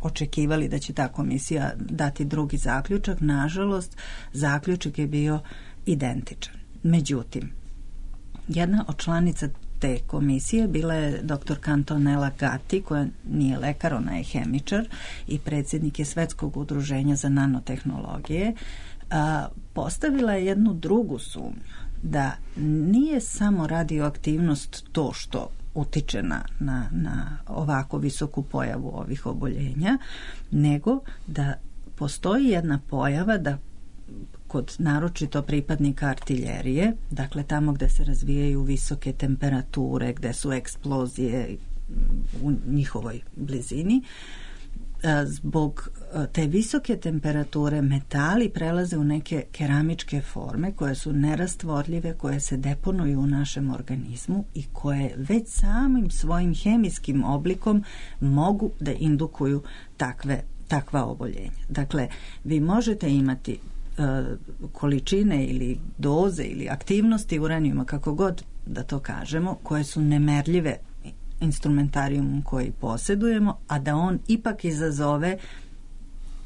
očekivali da će ta komisija dati drugi zaključak. Nažalost, zaključak je bio identičan. Međutim, jedna od članica te komisije bila je doktor Antonella Gatti, koja nije lekar, ona je hemičar i predsjednik je Svetskog udruženja za nanotehnologije. A, postavila je jednu drugu sumnju, da nije samo radioaktivnost to što utiče na, na, na ovako visoku pojavu ovih oboljenja, nego da postoji jedna pojava da kod naročito pripadnika artiljerije, dakle tamo gde se razvijaju visoke temperature, gde su eksplozije u njihovoj blizini, zbog te visoke temperature metali prelaze u neke keramičke forme koje su nerastvorljive, koje se deponuju u našem organizmu i koje već samim svojim hemijskim oblikom mogu da indukuju takve, takva oboljenja. Dakle, vi možete imati uh, količine ili doze ili aktivnosti uranijuma, kako god da to kažemo, koje su nemerljive instrumentarijum koji posjedujemo, a da on ipak izazove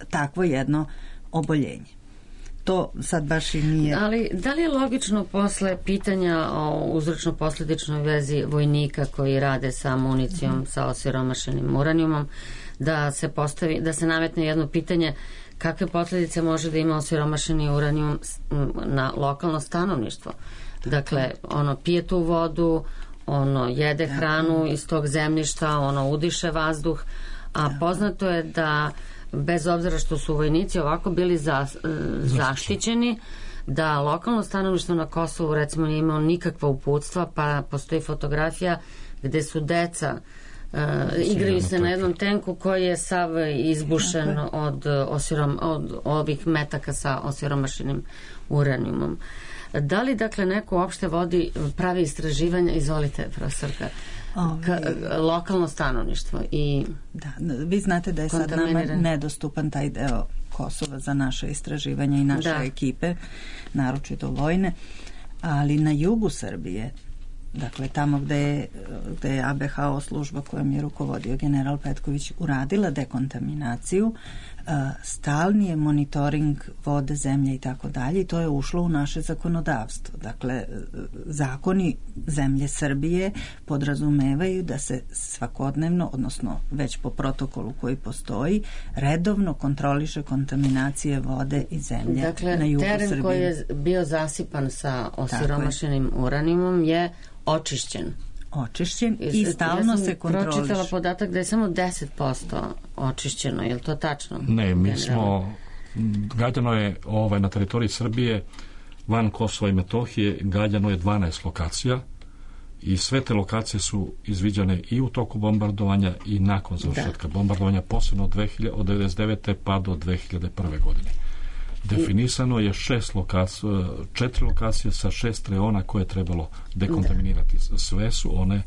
takvo jedno oboljenje. To sad baš i nije... Ali da li je logično posle pitanja o uzročno-posljedičnoj vezi vojnika koji rade sa municijom, mm. sa osiromašenim uranijumom, da se postavi, da se nametne jedno pitanje kakve posljedice može da ima osiromašeni uranijum na lokalno stanovništvo? Dakle, ono pije tu vodu, ono jede hranu iz tog zemljišta, ono udiše vazduh, a poznato je da bez obzira što su vojnici ovako bili za, zaštićeni, da lokalno stanovništvo na Kosovu recimo nije imao nikakva uputstva, pa postoji fotografija gde su deca uh, igraju se na jednom tenku koji je sav izbušen od, osirom, od ovih metaka sa osiromašenim uranijumom. Da li dakle neko uopšte vodi pravi istraživanja, izvolite profesorka, Ka, lokalno stanovništvo i da, vi znate da je sad nama nedostupan taj deo Kosova za naše istraživanje i naše da. ekipe, naročito vojne, ali na jugu Srbije dakle tamo gde je, gde je A B H O služba kojom je rukovodio general Petković uradila dekontaminaciju, stalni je monitoring vode, zemlje i tako dalje i to je ušlo u naše zakonodavstvo. Dakle, zakoni zemlje Srbije podrazumevaju da se svakodnevno, odnosno već po protokolu koji postoji, redovno kontroliše kontaminacije vode i zemlje dakle, na jugu Srbije. Dakle, teren koji je bio zasipan sa osiromašenim uranijumom je očišćen. Očišćen i, i stalno se kontroliše. Ja sam pročitala podatak da je samo deset posto očišćeno, je li to tačno? Ne, mi smo, gađano je ovaj, na teritoriji Srbije, van Kosova i Metohije, gađano je dvanaest lokacija i sve te lokacije su izviđane i u toku bombardovanja i nakon završetka da. bombardovanja, posebno od, od devedeset devete pa do dve hiljade prve godine. Definisano je šest lokacija, četiri lokacije sa šest reona koje je trebalo dekontaminirati. Da. Sve su one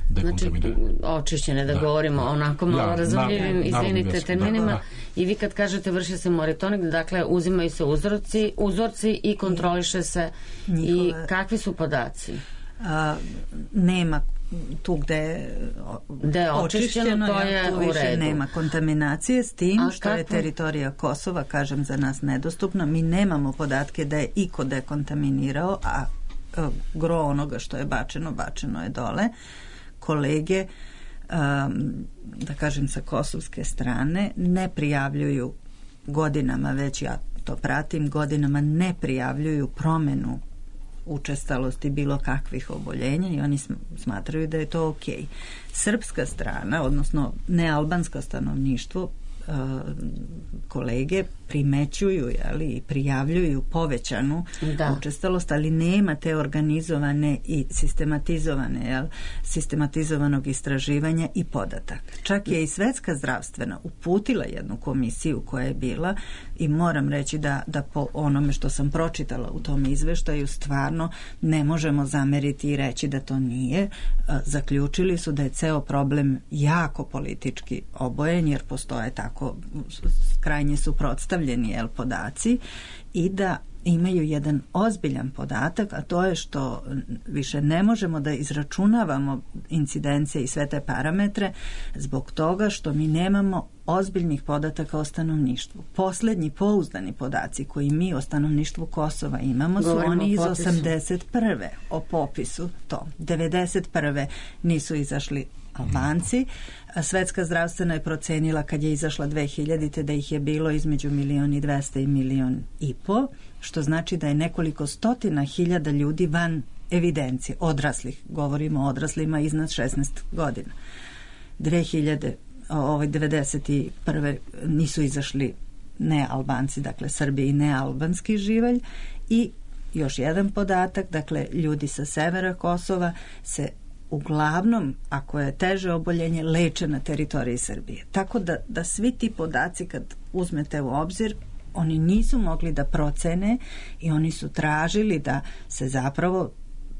dekontaminirane. Znači, očišćene, da, da govorimo da. onako malo ja, razumljivim, izvinite, terminima. Da, da. I vi kad kažete vrši se monitoring, dakle, uzimaju se uzorci, uzorci i kontroliše se. Njihove... I kakvi su podaci? A, nema tu gde je očišćeno, to je tu više redu. Nema kontaminacije, s tim A što kako? je teritorija Kosova, kažem, za nas nedostupna. Mi nemamo podatke da je iko dekontaminirao, a gro onoga što je bačeno, bačeno je dole. Kolege, um, da kažem, sa kosovske strane ne prijavljuju godinama, već ja to pratim, godinama ne prijavljuju promenu učestalosti bilo kakvih oboljenja i oni smatraju da je to okej. Srpska strana, odnosno nealbansko stanovništvo, kolege primećuju jeli, i prijavljuju povećanu da. učestalost, ali nema te organizovane i sistematizovane jel, sistematizovanog istraživanja i podataka. Čak je i Svetska zdravstvena uputila jednu komisiju koja je bila i moram reći da, da po onome što sam pročitala u tom izveštaju stvarno ne možemo zameriti i reći da to nije. Zaključili su da je ceo problem jako politički obojen jer postoje tako krajnje suprotstavljeni jel, podaci i da imaju jedan ozbiljan podatak, a to je što više ne možemo da izračunavamo incidencije i sve te parametre zbog toga što mi nemamo ozbiljnih podataka o stanovništvu. Poslednji pouzdani podaci koji mi o stanovništvu Kosova imamo su Govorimo oni iz osamdeset prve o popisu to. devedeset prve nisu izašli Albanci. Svetska zdravstvena je procenila kad je izašla dve hiljadite da ih je bilo između milion i dvesta i milion i po, što znači da je nekoliko stotina hiljada ljudi van evidencije, odraslih, govorimo o odraslima iznad šesnaest godina. dve hiljade, ovaj, devedeset prve nisu izašli ne Albanci, dakle Srbi i ne albanski živalj i još jedan podatak, dakle ljudi sa severa Kosova se uglavnom, ako je teže oboljenje, leče na teritoriji Srbije. Tako da, da svi ti podaci kad uzmete u obzir, oni nisu mogli da procene i oni su tražili da se zapravo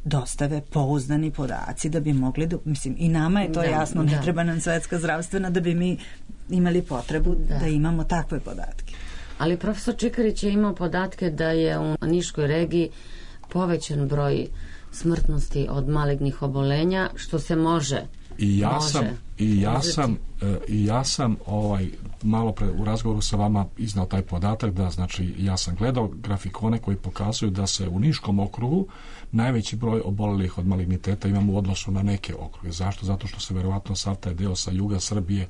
dostave pouzdani podaci da bi mogli da, mislim, i nama je to da, jasno, ne da. treba nam Svetska zdravstvena da bi mi imali potrebu da, da imamo takve podatke. Ali profesor Čikarić je imao podatke da je u Niškoj regiji povećan broj smrtnosti od malignih obolenja, što se može i ja može sam i ja uzeti. sam i ja sam ovaj malo pre u razgovoru sa vama iznao taj podatak da znači ja sam gledao grafikone koji pokazuju da se u Niškom okrugu najveći broj obolelih od maligniteta imamo u odnosu na neke okruge. Zašto? Zato što se verovatno sav taj deo sa juga Srbije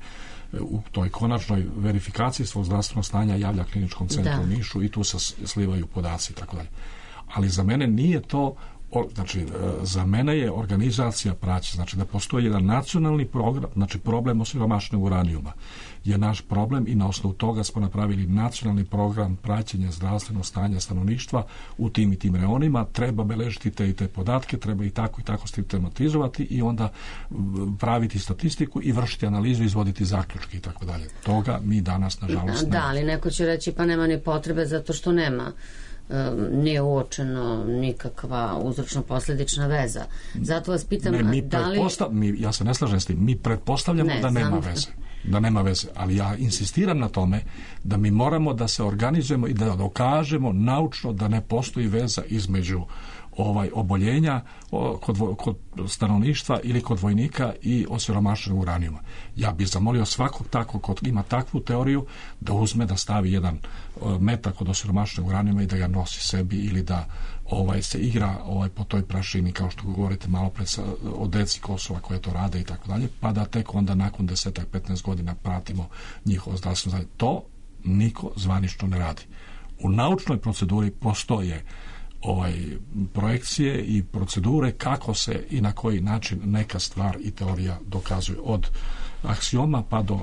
u toj konačnoj verifikaciji svog zdravstvenog stanja javlja kliničkom centru da. u Nišu i tu se slivaju podaci i tako dalje. Ali za mene nije to znači, za mene je organizacija praćenja, znači da postoji jedan nacionalni program, znači problem osiromašenog uranijuma je naš problem i na osnovu toga smo napravili nacionalni program praćenja zdravstvenog stanja stanovništva u tim i tim reonima, treba beležiti te i te podatke, treba i tako i tako sistematizovati i onda praviti statistiku i vršiti analizu, izvoditi zaključke i tako dalje. Toga mi danas, nažalost, da, ali neko će reći pa nema ni potrebe zato što nema nije uočeno nikakva uzročno-posledična veza. Zato vas pitam, ne, mi da li... mi, ja se ne slažem s tim, mi pretpostavljamo ne, da nema znam... veze. Da nema veze, ali ja insistiram na tome da mi moramo da se organizujemo i da dokažemo naučno da ne postoji veza između ovaj oboljenja kod, kod stanovništva ili kod vojnika i osiromašenog uranijuma. Ja bih zamolio svakog takvog ko ima takvu teoriju da uzme da stavi jedan metak od osiromašenog uranijuma i da ga nosi sebi ili da ovaj se igra ovaj po toj prašini kao što govorite malo pre o deci Kosova koje to rade i tako dalje, pa da tek onda nakon desetak petnaest godina pratimo njihovo zdravstveno zdravlje. To niko zvanično ne radi. U naučnoj proceduri postoje ovaj projekcije i procedure kako se i na koji način neka stvar i teorija dokazuje, od aksioma pa do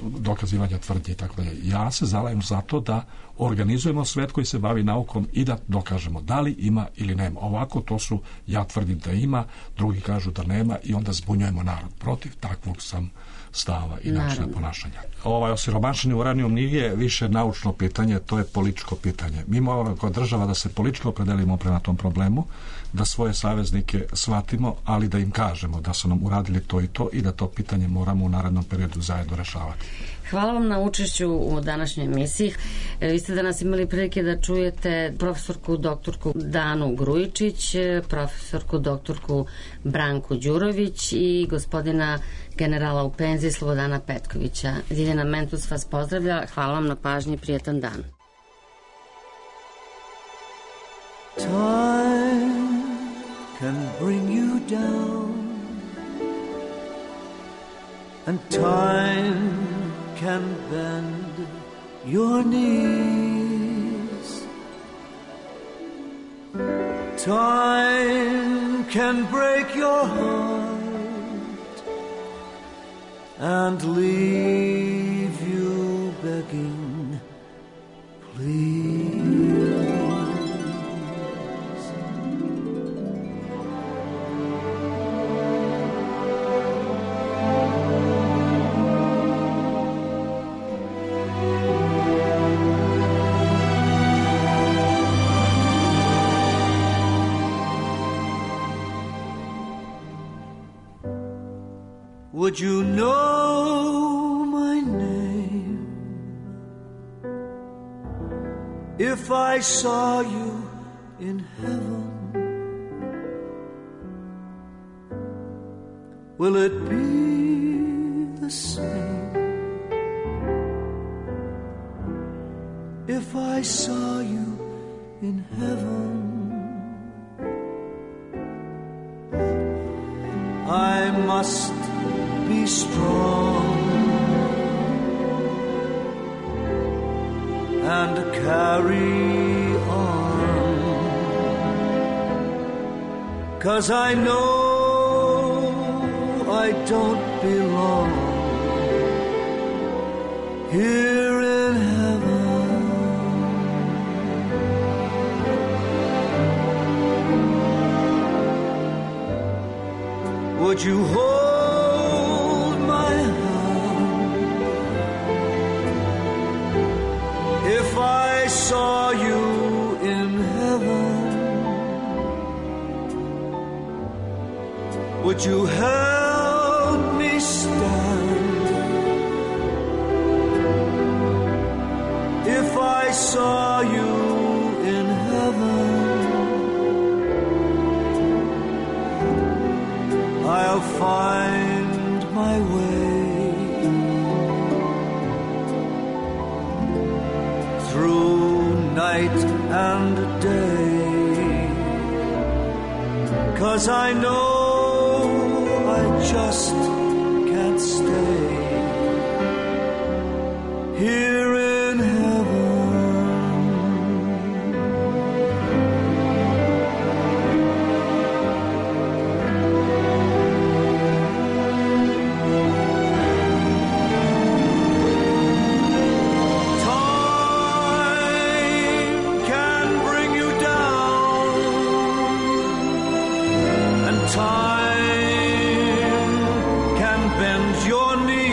dokazivanja tvrdnje i tako dalje. Ja se zalajem za to da organizujemo svet koji se bavi naukom i da dokažemo da li ima ili nema. Ovako to su, ja tvrdim da ima, drugi kažu da nema i onda zbunjujemo narod. Protiv takvog sam stava i načina ponašanja. Ovaj osiromašeni uranijum nije više naučno pitanje, to je političko pitanje. Mi moramo kao država da se politički opredelimo prema tom problemu, da svoje saveznike shvatimo, ali da im kažemo da su nam uradili to i to i da to pitanje moramo u narednom periodu zajedno rešavati. Hvala vam na učešću u današnjoj emisiji. Vi ste danas imali prilike da čujete profesorku doktorku Danu Grujičić, profesorku doktorku Branku Đurović i gospodina generala u penziji Slobodana Petkovića. Ljiljana Mentus vas pozdravlja. Hvala vam na pažnji i prijetan dan. Time can bring you down, and time can bend your knees. Time can break your heart and leave you begging, please. Would you know my name if I saw you in heaven? Will it be the same if I saw you in heaven? I must be strong and carry on, 'cause I know I don't belong here in heaven. Would you hold I saw you in heaven? Would you help me stand if I saw you in heaven? I'll find my way through night and day, 'cause I know I just can't stay here in heaven. Time can bend your knees.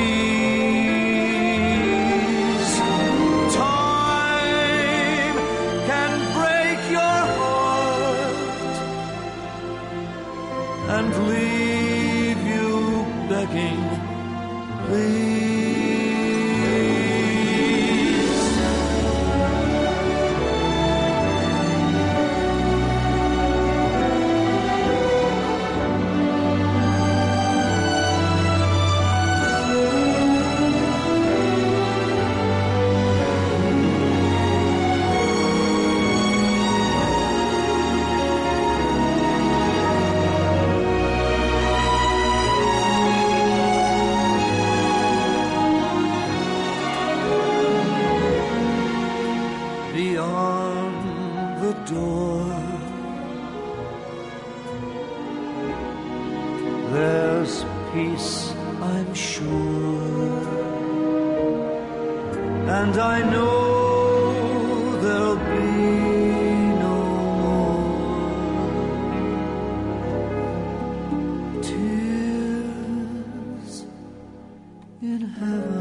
there's peace, I'm sure. And I know there'll be no more tears in heaven.